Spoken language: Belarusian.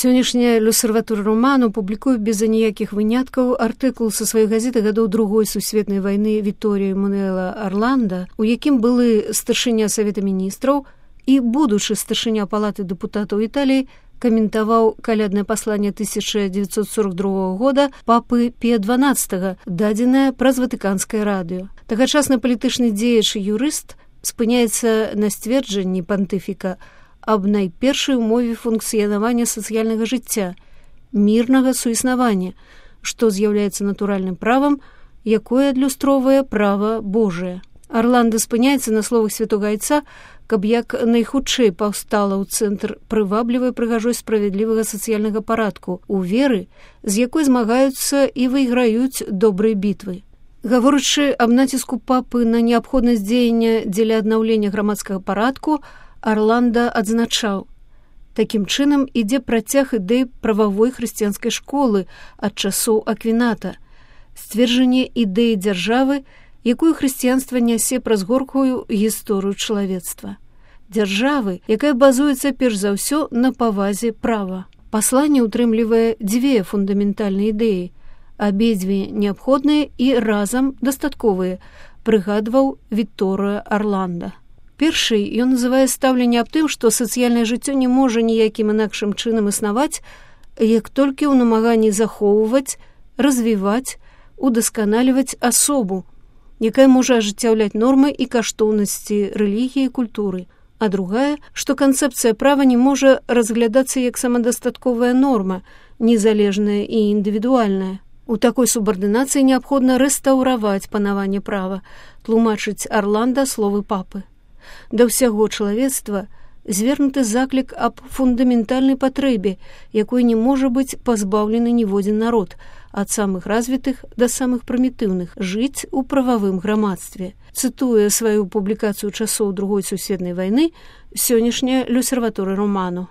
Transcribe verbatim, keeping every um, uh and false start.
Сённяшняя «L'Osservatore Romano» публікуе без аніякіх выняткаў артыкул са сваёй газеты гадоў другой сусветнай вайны Вітторія Эммануэла Арланда, у якім былы старшыня Савета міністраў і будучы старшыня палаты дэпутатаў Італіі каментаваў каляднае пасланне тысяча дзевяцьсот сорок другога года папы Пія дванаццатага, дадзенае праз ватыканскае радыё. Тагачасны палітычны дзеяч і юрыст спыняецца на сцверджанні пантыфіка аб найпершай умове функцыянавання сацыяльнага жыцця, мірнага суіснавання, што з'яўляецца натуральным правам, якое адлюстроўвае права Божае. Арланда спыняецца на словах святога айца, каб як найхутчэй паўстала ў цэнтр прываблівай прыгажой справядлівага сацыяльнага парадку, у веры, з якой змагаюцца і выйграюць добрыя бітвы. Гаворачы аб націску папы на неабходнасць дзеяння дзеля аднаўлення грамадскага парадку, Арланда адзначаў: такім чынам ідзе працяг ідэй прававой хрысціянскай школы ад часоў Аквіната, сцверджанне ідэі дзяржавы, якую хрысціянства нясе праз горкую гісторыю чалавецтва. Дзяржавы, якая базуецца перш за ўсё на павазе права. Пасланне ўтрымлівае дзве фундаментальныя ідэі, абедзве неабходныя і разам дастатковыя, прыгадваў Вітторія Арланда. Першый ён называе стаўленне аб тым, што сацыяльнае жыццё не можа ніякім інакшым чынам існаваць, як толькі ў намаганні захоўваць, развіваць, удасканаліваць асобу, якая можа ажыццяўляць нормы і каштоўнасці рэлігіі і культуры. А другая, што канцэпцыя права не можа разглядацца як самадастатковая норма, незалежная і індывідуальная. У такой субардынацыі неабходна рэстаўраваць панаванне права, тлумачыць Арланда словы папы. Да ўсяго чалавецтва звернуты заклік аб фундаментальнай патрэбе, якой не можа быць пазбаўлены ніводзін народ, ад самых развітых да самых прымітыўных, жыць у прававым грамадстве. Цытуе сваю публікацыю часоў другой сусветнай вайны сённяшняя «L'Osservatore Romano».